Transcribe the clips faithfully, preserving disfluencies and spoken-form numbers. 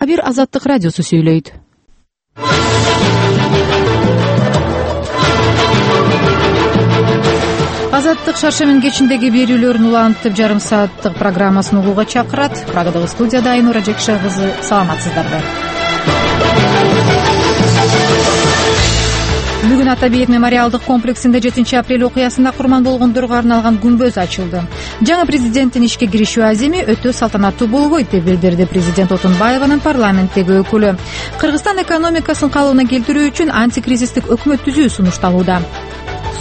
Бир Азаттык радиосу сүйлөйт. Азаттык шаршемин кечиндеги берүүлөрүн улантып жарым сааттык программасын угууга чакырат. Прагадагы студияда Айнура Жекше кызы. Саламатсыздарбы? Бүгүн Ата бейит мемориалдык комплексинде жетинчи апрель окуясында курман болгондорго арналган күмбөз ачылды. Жаңы президенттин ишке киришүү аземи өтө салтанаттуу болбойт деп билдирди президент Отунбаеванын парламенттеги өкүлү. Кыргызстан экономикасын калыбына келтирүү үчүн антикризистик өкмөт түзүү сунушталууда.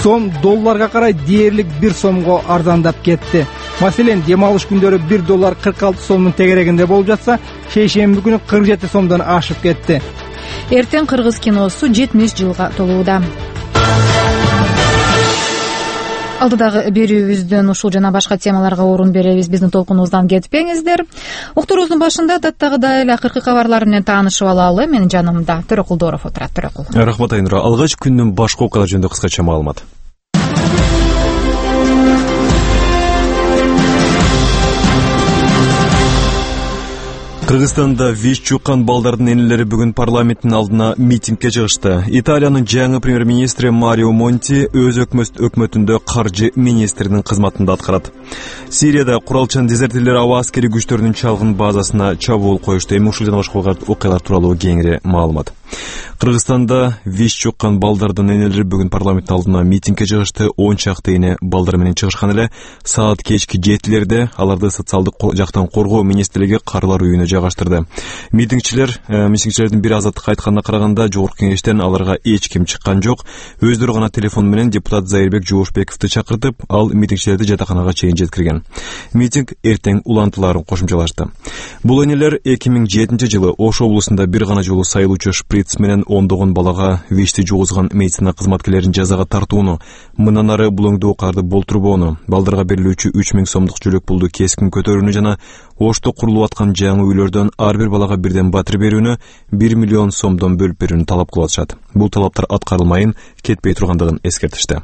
Сом долларга карай дээрлик бир сомго арзандап кетти. Маселен, дем алыш күндөрү бир доллар кырк алты сомдун тегерегинде болуп жатса, шейшемби күнү кырк жети сомдон ашып кетти. Эртең кыргыз киносу жетимиш жылга толууда. Алдыдагы берүүбүздөн ушул жана башка темаларга орун беребиз. Биздин толкунубуздан кетпеңиздер. Уктуруубуздун башында даттагыдай эле акыркы кабарлар менен таанышып алалы. Менин жанымда Төрөкул Дооров отурат. Төрөкул. Рахмат Айнура. Алгач күндүн башка окуялар жөнүндө кыскача маалымат. Кыргызстанда вич жуккан балдардын энелери бүгүн парламенттин алдына митингге чыгышты. Италиянын жаңы премьер-министри Марио Монти өз өкмөтүндө каржы министринин кызматында аткарат. Сирияда куралчан дезертирлер аба аскери күчтөрүнүн чалгын базасына чабуул коюшту. Эми ушул жана башка окуялар тууралуу кеңири маалымат. Кыргызстанда вич жуккан балдардын энелери бүгүн парламенттин алдына митингге чыгышты. он чакты эне балдар менен чыгышкан эле. Саат кечки жетилерде аларды социалдык жактан коргоо министрлиги карлар үйүнө жайгаштырды. Митингчилер, митингчилердин бири Азаттыкка айтканына караганда, жогорку кеңештен аларга эч ким чыккан жок. Өздөрү гана телефон менен депутат Зайырбек Жоошбековду чакыртып, ал митингчилерди жатаканага чейин жеткирген. Митинг эртең улантыларын кошумчалашты. Бул энелер эки миң жетинчи жылы Ош облусунда бир гана жолу сайылуучу шприц менен ондогон балага вичти жугузган медицина кызматкерлерин жазага тартууну, мындан ары булоңдуу карды болтурбоону, балдарга берилүүчү үч миң сомдук жөлөк пулду кескин көтөрүүнү жана Ошто курулуп аткан жаңы үйлөрдөн ар бир балага бирден батир берүүнү, бир миллион сомдон бөлүп берүүнү талап кылып атышат. Бул талаптар аткарылмайын, кетпей тургандыгын эскертишти.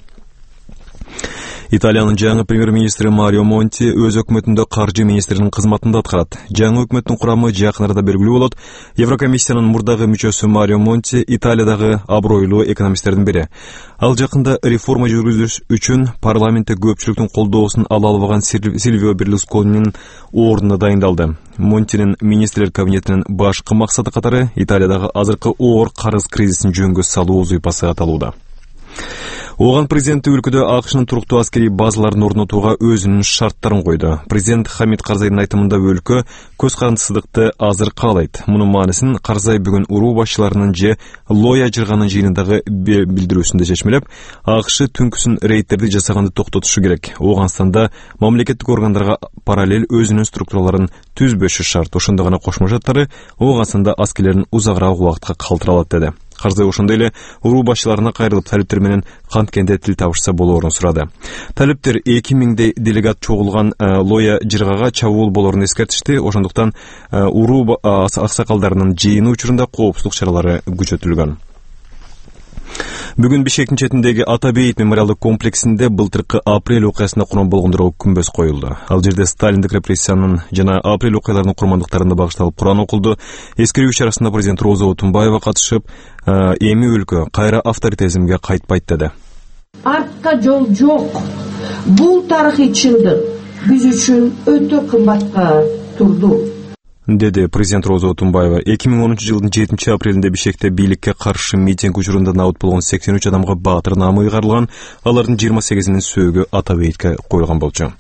Италиянын жаңы премьер-министри Марио Монти өз өкмөтүндө каржы министринин кызматында аткарат. Жаңы өкмөттүн курамы жакын арада белгилүү болот. Еврокомиссиянын мурдагы мүчөсү Марио Монти Италиядагы абройлуу экономисттердин бири. Ал жакында реформа жүргүзүш үчүн парламентте көпчүлүктүн колдоосун ала албаган Сильвио Берлусконинин ордуна дайындалды. Монтинин министрлер кабинетинин башкы максаты катары Италиядагы азыркы оор карыз кризисин жөнгө салуу зыйпасы аталууда. Оған президенті өлкөдө АКШнын туруктуу аскери базаларын орнотууга өзүнүн шарттарын койду. Президент Хамид Карзайдын айтымында өлкө көз карандысыздыкты азыр каалайт. Мунун маанисин Карзай бүгүн уруу башчыларынын же Лоя жырганын жыйынындагы билдирүүсүндө чечмелеп, АКШ түнкүсүн рейдтерди жасаганды токтотушу керек. Оганстанда мамлекеттик органдарга параллель өзүнүн структураларын түзбөшү шарт. Ошондо гана Кошмо Шаттары Оганстанда аскерлерин узагыраак убакытка калтыралат деди. Карзай ошондой эле уруу башчыларына кайрылып, талиптер менен канткенде тил табышса болоорун сурады. Талиптер эки миңдей делегат чогулган Лоя жыргага чабуул болоорун эскертишти. Ошондуктан уруу аксакалдарынын жыйыны учурунда коопсуздук чаралары күчөтүлгөн. Бүгүн Бишкектин четиндеги Ата бейит мемориалдык комплексинде былтыркы апрель окуясында курман болгондорго күмбөз коюлду. Ал жерде Сталиндик репрессиянын жана апрель окуяларынын курмандыктарына багышталып Куран окулду. Эскерүү чарасында президент Роза Отунбаева катышып, эми өлкө кайра авторитаризмге кайтпайт деди. Артка жол жок. Бул тарыхый чындык биз үчүн өтө кымбатка турду, деди президент Роза Отунбаева. эки миң онунчу жылдын жетинчи апрелинде Бишкекте бийликке каршы митинг учурунда набыт болгон сексен үч адамга баатыр наамы ыйгарылган. Алардын жыйырма сегизинин сөөгү Ата бейитке коюлган болчу.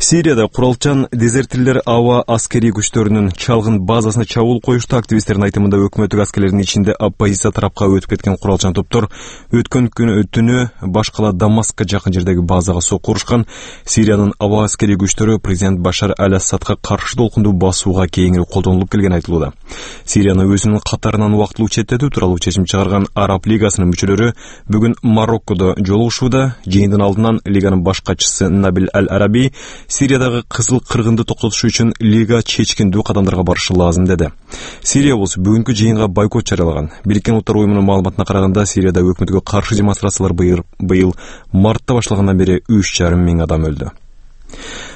Сирияда куралчан дезертирлер аба аскери күчтөрүнүн чалгын базасына чабуул коюшту. Активисттердин айтымында өкмөттүк аскерлердин ичинде оппозиция тарапка өтүп кеткен куралчан топтор өткөн күнү түнү башкала Дамаскка жакын жердеги базага сокку урушкан. Сириянын аба аскери күчтөрү президент Башар аль-Асадка каршы толкунду басууга кеңири колдонулуп келген айтылууда. Сирияны өзүнүн катарынан убактылуу четтетүү тууралуу чечим чыгарган Араб лигасынын мүчөлөрү бүгүн Мароккодо жолугушууда. Жыйындын алдынан лиганын баш катчысы Набил Аль-Араби Сириядагы кызыл кыргынды токтотуш үчүн лига чечкиндүү кадамдарга барышы лазым деди. Сирия болсо бүгүнкү жыйынга бойкот жарыялаган. Бириккен Улуттар уюмунун маалыматына караганда, Сирияда өкмөткө каршы демонстрациялар быйыл мартта башталгандан бери үч жарым миң адам өлдү.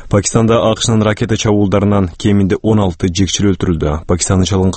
Пакистанда АКШнын ракета чабуулдарынан кеминде он алты жекчил өлтүрүлдү. Пакистандын чалгын